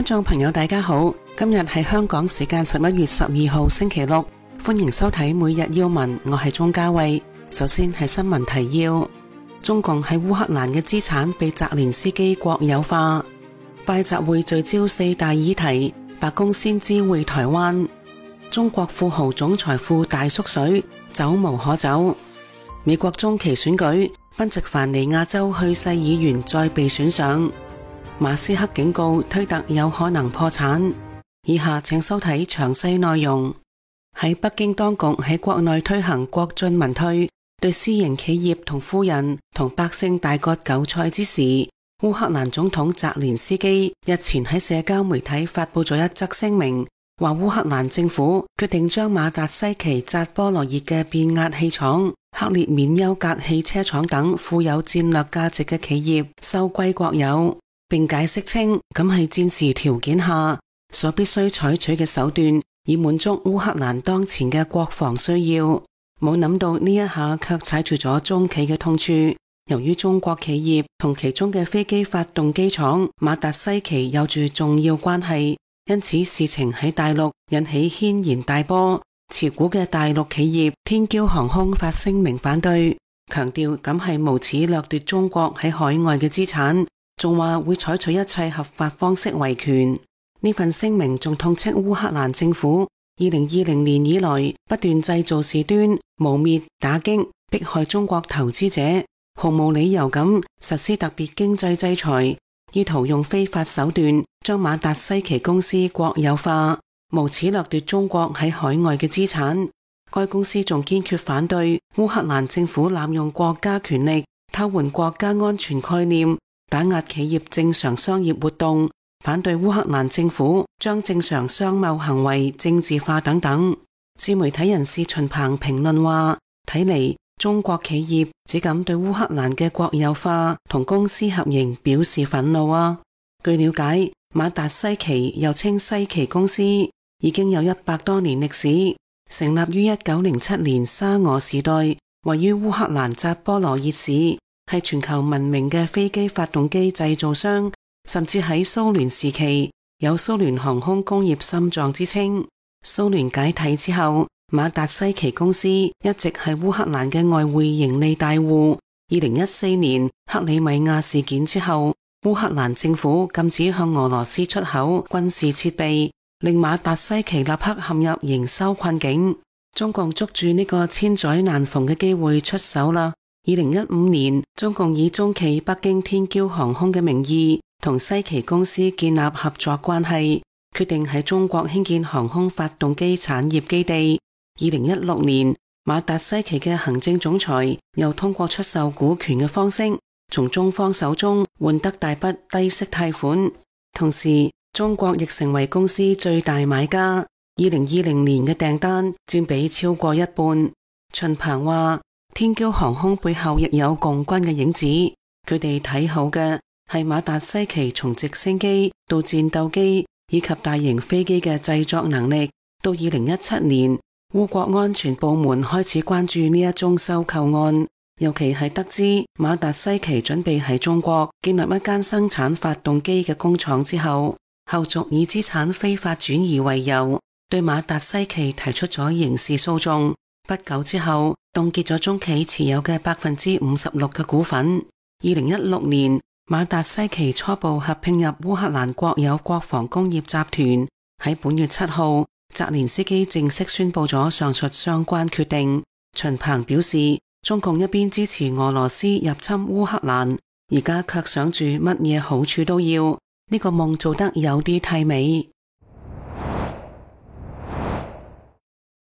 眾朋友大家好，今日係香港時間11月12號星期六，歡迎收睇每日要聞，我係鍾嘉慧。首先係新聞提要：中共喺烏克蘭嘅資產被澤連斯基國有化。拜習會聚焦4大議題，白宮先知會台灣。中國富豪總財富大縮水，走無可走。美國中期選舉，賓夕凡尼亞州去世議員再被選上。馬斯克警告推特有可能破產。以下請收睇詳細內容。喺北京當局喺國內推行國進民退，對私營企業同富人同百姓大割韭菜之時，烏克蘭總統澤連斯基日前喺社交媒體發佈咗一則聲明，話烏克蘭政府決定將馬達西奇扎波羅熱嘅變壓器廠、克列緬丘格汽車廠等富有戰略價值嘅企業收歸國有，並解釋稱咁係戰時條件下所必須採取嘅手段，以滿足烏克蘭當前嘅國防需要。冇諗到呢一下卻踩住咗中企嘅痛處。由於中國企業同其中嘅飛機發動機廠馬達西奇有住重要關係，因此事情喺大陸引起軒然大波。持股嘅大陸企業天驕航空發聲明反對，強調咁係無恥掠奪中國喺海外嘅資產，仲話會採取一切合法方式維權。呢份聲明仲痛斥烏克蘭政府2020年以來不斷製造事端、誣衊、打擊、迫害中國投資者，毫無理由咁實施特別經濟制裁，意圖用非法手段將馬達西奇公司國有化，無恥掠奪中國喺海外嘅資產。該公司仲堅決反對烏克蘭政府濫用國家權力，偷換國家安全概念，打壓企業正常商業活動，反對烏克蘭政府將正常商貿行為政治化等等。自媒體人士秦鵬評論話，睇嚟中國企業只敢對烏克蘭嘅國有化同公司合營表示憤怒啊。據了解，馬達西奇又稱西奇公司已經有100多年歷史，成立於1907年沙俄時代，位於烏克蘭扎波羅熱市，係全球聞名嘅飛機發動機製造商，甚至喺蘇聯時期有蘇聯航空工業心臟之稱。蘇聯解體之後，馬達西奇公司一直係烏克蘭嘅外匯盈利大戶。2014年克里米亞事件之後，烏克蘭政府禁止向俄羅斯出口軍事設備，令馬達西奇立刻陷入營收困境。中共捉住呢個千載難逢嘅機會出手啦。2015年，中共以中企北京天驕航空嘅名義同西奇公司建立合作關係，決定喺中國興建航空發動機產業基地。2016年，馬達西奇嘅行政總裁又通過出售股權嘅方式，從中方手中換得大筆低息貸款。同時，中國亦成為公司最大買家，2020年嘅訂單佔比超過一半。秦鵬話，天驕航空背後亦有共軍嘅影子，佢哋睇好嘅係馬達西奇從直升機到戰鬥機以及大型飛機嘅製作能力。到2017年，烏國安全部門開始關注呢一宗收購案，尤其係得知馬達西奇準備喺中國建立一間生產發動機嘅工廠之後，後續以資產非法轉移為由，對馬達西奇提出咗刑事訴訟。不久之後，凍結咗中企持有嘅56%嘅股份。2016年，馬達西奇初步合併入烏克蘭國有國防工業集團。喺本月7號，澤連斯基正式宣布咗上述相關決定。秦鵬表示，中共一邊支持俄羅斯入侵烏克蘭，而家卻想住乜嘢好處都要，呢個夢做得有啲太美。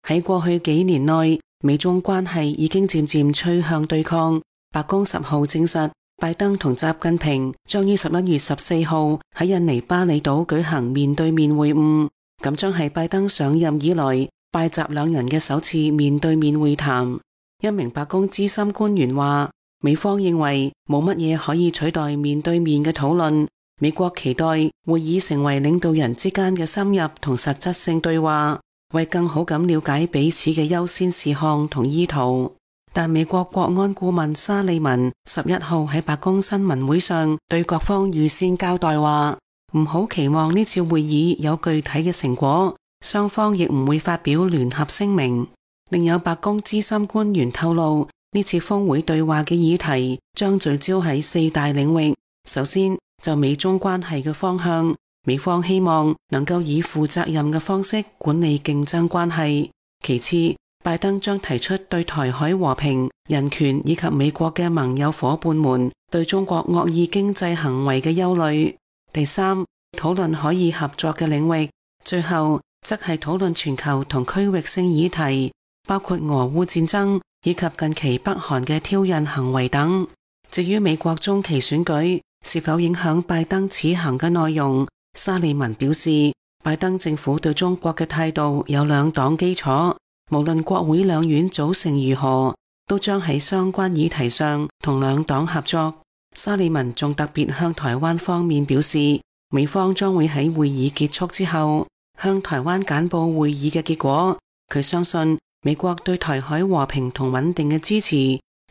喺過去幾年內，美中關係已經漸漸趨向對抗。白宮10號證實，拜登同習近平將於11月14號喺印尼巴厘島舉行面對面會晤，咁將係拜登上任以來拜習兩人嘅首次面對面會談。一名白宮資深官員話，美方認為冇乜嘢可以取代面對面嘅討論，美國期待會議成為領導人之間嘅深入同實質性對話，為更好咁了解彼此嘅優先事項同意圖。但美國國安顧問沙利文11號喺白宮新聞會上對各方預先交代話，唔好期望呢次會議有具體嘅成果，雙方亦唔會發表聯合聲明。另有白宮資深官員透露，呢次峰會對話嘅議題將聚焦喺4大領域。首先，就美中關係嘅方向，美方希望能夠以負責任嘅方式管理競爭關係。其次，拜登將提出對台海和平、人權以及美國嘅盟友夥伴們對中國惡意經濟行為嘅憂慮。第三，討論可以合作嘅領域。最後，則係討論全球同區域性議題，包括俄烏戰爭以及近期北韓嘅挑釁行為等。至於美國中期選舉是否影響拜登此行嘅內容，沙利文表示，拜登政府對中國嘅態度有兩黨基礎，無論國會兩院組成如何，都將喺相關議題上同兩黨合作。沙利文仲特別向台灣方面表示，美方將會喺會議結束之後向台灣簡報會議嘅結果。佢相信美國對台海和平同穩定嘅支持，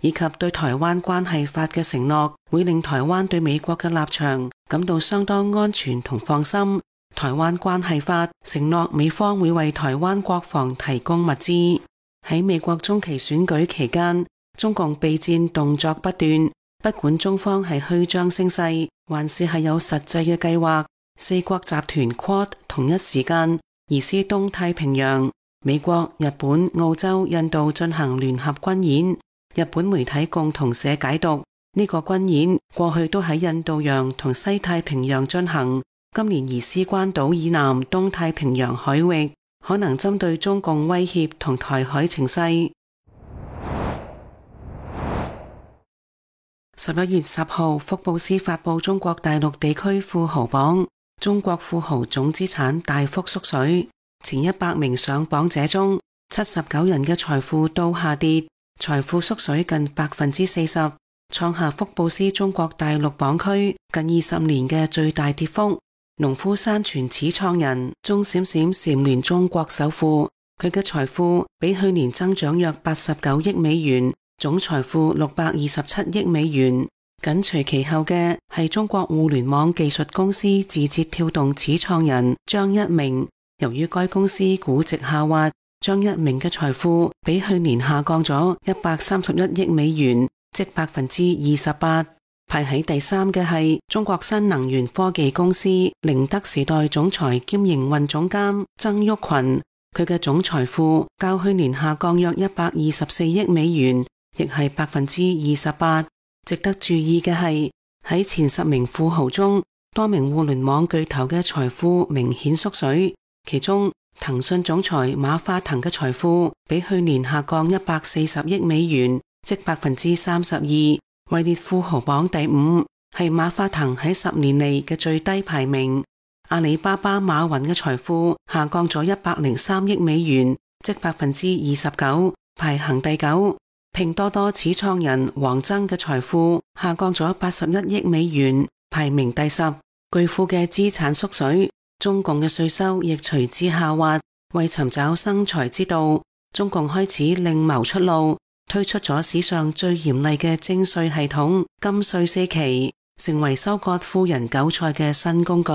以及對台灣關係法嘅承諾，會令台灣對美國嘅立場感到相當安全同放心。台灣關係法承諾美方會為台灣國防提供物資。喺美國中期選舉期間，中共備戰動作不斷，不管中方係虛張聲勢，還是係有實際嘅計劃，四國集團 Quad 同一時間移師東太平洋，美國、日本、澳洲、印度進行聯合軍演。日本媒體共同社解讀，呢個軍演過去都喺印度洋同西太平洋進行，今年移師關島以南東太平洋海域，可能針對中共威脅同台海情勢。11月10號，福布斯發佈中國大陸地區富豪榜，中國富豪總資產大幅縮水，前100名上榜者中，79人嘅財富都下跌，財富縮水近40%，創下福布斯中國大陸榜區近20年嘅最大跌幅。農夫山泉始創人鐘閃閃蟬聯中國首富，佢嘅財富比去年增長約89億美元，總財富627億美元。緊隨其後嘅係中國互聯網技術公司字節跳動始創人張一鳴，由於該公司估值下滑，張一鳴嘅財富比去年下降咗131億美元，即28%。排喺第3嘅係中國新能源科技公司寧德時代總裁兼營運總監曾毓群，佢嘅總財富較去年下降約124億美元，亦係28%。值得注意嘅係喺前10名富豪中，多名互聯網巨頭嘅財富明顯縮水，其中騰訊總裁馬化騰嘅財富比去年下降140億美元，即32%。位列富豪榜第5，係馬化騰喺10年嚟嘅最低排名。阿里巴巴馬雲嘅財富下降咗103億美元，即29%，排行第9。拼多多始創人黃崢嘅財富下降咗81億美元，排名第10。巨富嘅資產縮水，中共嘅稅收亦隨之下滑。為尋找生財之道，中共開始另謀出路，推出咗史上最嚴厲嘅徵稅系統金稅4期，成為收割富人韭菜嘅新工具。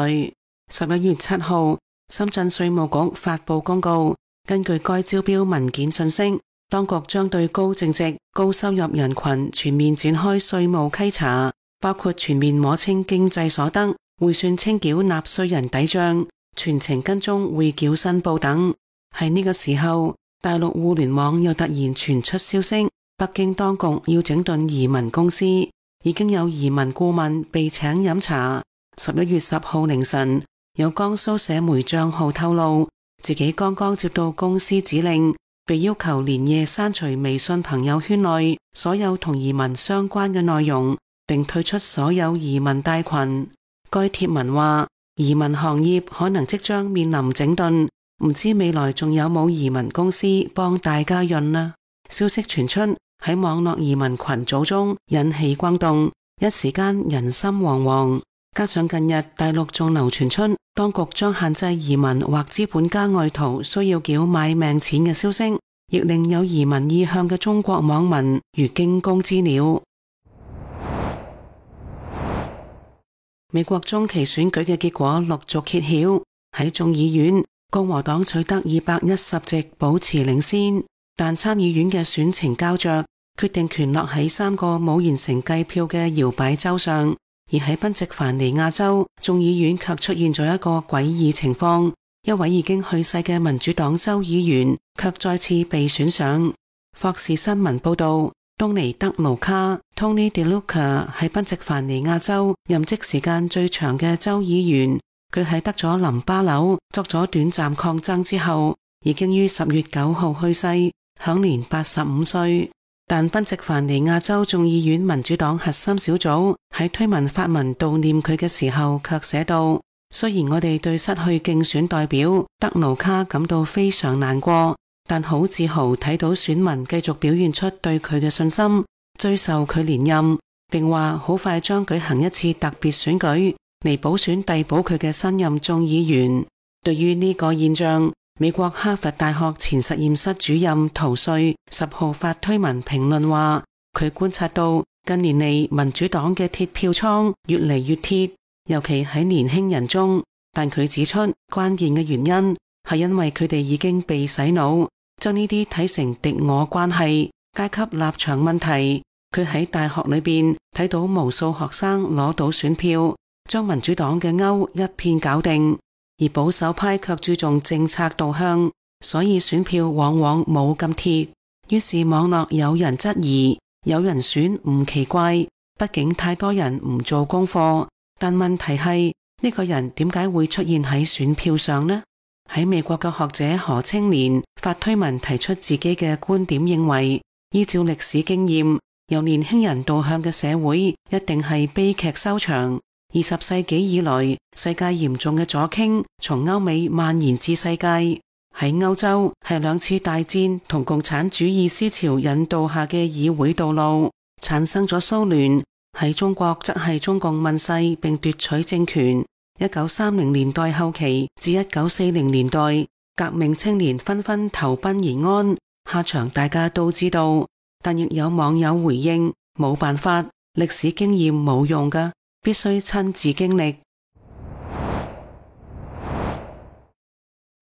11月7號，深圳稅務局發布公告，根據該招標文件信息，當局將對高淨值、高收入人群全面展開稅務稽查，包括全面摸清經濟所得、匯算清繳納稅人抵賬、全程跟蹤匯繳申報等。喺呢個時候，大陸互聯網又突然傳出消息，北京當局要整頓移民公司，已經有移民顧問被請飲茶。11月10號凌晨，有江蘇社媒賬號透露，自己剛剛接到公司指令，被要求連夜刪除微信朋友圈內所有同移民相關嘅內容，並退出所有移民大群。該貼文話，移民行業可能即將面臨整頓，唔知未來仲有冇移民公司幫大家潤呢？消息傳出喺網絡移民群組中引起轟動，一時間人心惶惶。加上近日大陸仲流傳出當局將限制移民或資本家外逃需要繳買命錢嘅消息，亦令有移民意向嘅中國網民如驚弓之鳥。美國中期選舉嘅結果陸續揭曉，喺眾議院，共和黨取得210席，保持領先，但參議院嘅選情膠着，決定權落喺3個冇完成計票嘅搖擺州上。而喺賓夕凡尼亞州，眾議院卻出現咗一個詭異情況，一位已經去世嘅民主黨州議員卻再次被選上。霍士新聞報道，東尼德盧卡 Tony DeLuca 係賓夕凡尼亞州任職時間最長嘅州議員，佢喺得咗淋巴瘤作咗短暫抗爭之後，已經於10月9號去世，享年85歲。但賓夕凡尼亞州眾議院民主黨核心小組喺推文發文悼念佢嘅時候卻寫道，雖然我哋對失去競選代表德盧卡感到非常難過，但好自豪睇到選民繼續表現出對佢嘅信心，追授佢連任，並話好快將舉行一次特別選舉嚟補選遞補佢嘅新任眾議員。對於呢個現象，美國哈佛大學前實驗室主任陶瑞10號發推文評論話，佢觀察到近年嚟民主黨嘅鐵票倉越嚟越鐵，尤其喺年輕人中，但佢指出關鍵嘅原因係因為佢哋已經被洗腦，將呢啲睇成敵我關係、階級立場問題。佢喺大學裏邊睇到無數學生攞到選票，將民主黨嘅勾一片搞定，而保守派卻注重政策導向，所以選票往往冇咁鐵。於是網絡有人質疑，有人選唔奇怪，畢竟太多人唔做功課。但問題係呢個人點解會出現喺選票上呢？喺美國嘅學者何青年發推文提出自己嘅觀點，認為依照歷史經驗，由年輕人導向嘅社會一定係悲劇收場。20世紀以來，世界嚴重嘅左傾從歐美蔓延至世界。喺歐洲係2次大戰同共產主義思潮引導下嘅議會道路，產生咗騷亂。喺中國則係中共問世並奪取政權。1930年代後期至1940年代，革命青年紛紛投奔延安，下場大家都知道。但亦有網友回應，冇辦法，歷史經驗冇用㗎，必須親自經歷。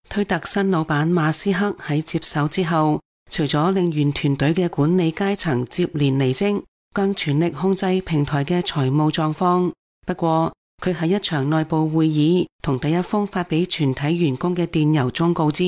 推特新老闆馬斯克喺接手之後，除咗令原團隊嘅管理階層接連離職，更全力控制平台嘅財務狀況。不過，佢喺一場內部會議同第一封發俾全體員工嘅電郵中告知，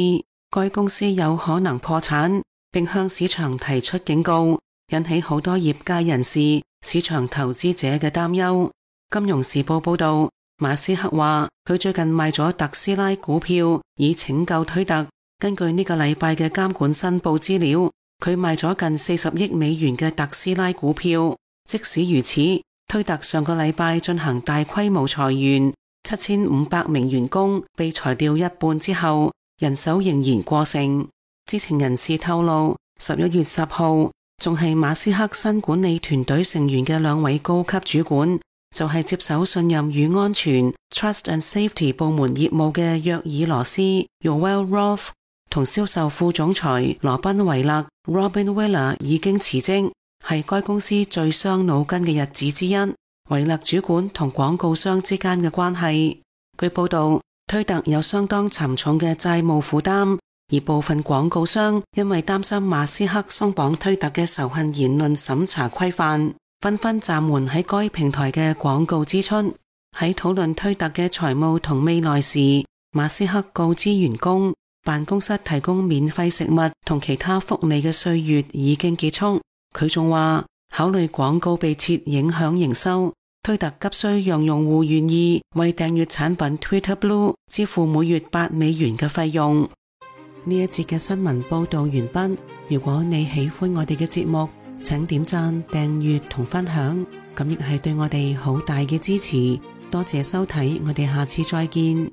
該公司有可能破產，並向市場提出警告，引起好多業界人士、市場投資者嘅擔憂。金融時報報道，馬斯克話佢最近賣咗特斯拉股票以拯救推特。根據呢個禮拜嘅監管申報資料，佢賣咗近40億美元嘅特斯拉股票。即使如此，推特上個禮拜進行大規模裁員，7500名員工被裁掉一半之後，人手仍然過剩。知情人士透露，11月10號仲係馬斯克新管理團隊成員嘅2位高級主管，就係接手信任與安全 Trust and Safety 部門業務嘅約爾羅斯 Yoel Roth 同銷售副總裁羅賓維勒 Robin Willer 已經辭職，係該公司最傷腦筋嘅日子之一。維勒主管同廣告商之間嘅關係，據報道，推特有相當沉重嘅債務負擔，而部分廣告商因為擔心馬斯克鬆綁推特嘅仇恨言論審查規範，紛紛暫緩喺該平台嘅廣告支出。喺討論推特嘅財務同未來時，馬斯克告知員工，辦公室提供免費食物同其他福利嘅歲月已經結束。佢仲話，考慮廣告被撤影響營收，推特急需讓用戶願意為訂閱產品 Twitter Blue 支付每月8美元嘅費用。呢一節嘅新聞報道完畢。如果你喜歡我哋嘅節目，請點讚、訂閱同分享，咁亦係對我哋好大嘅支持。多謝收睇，我哋下次再見。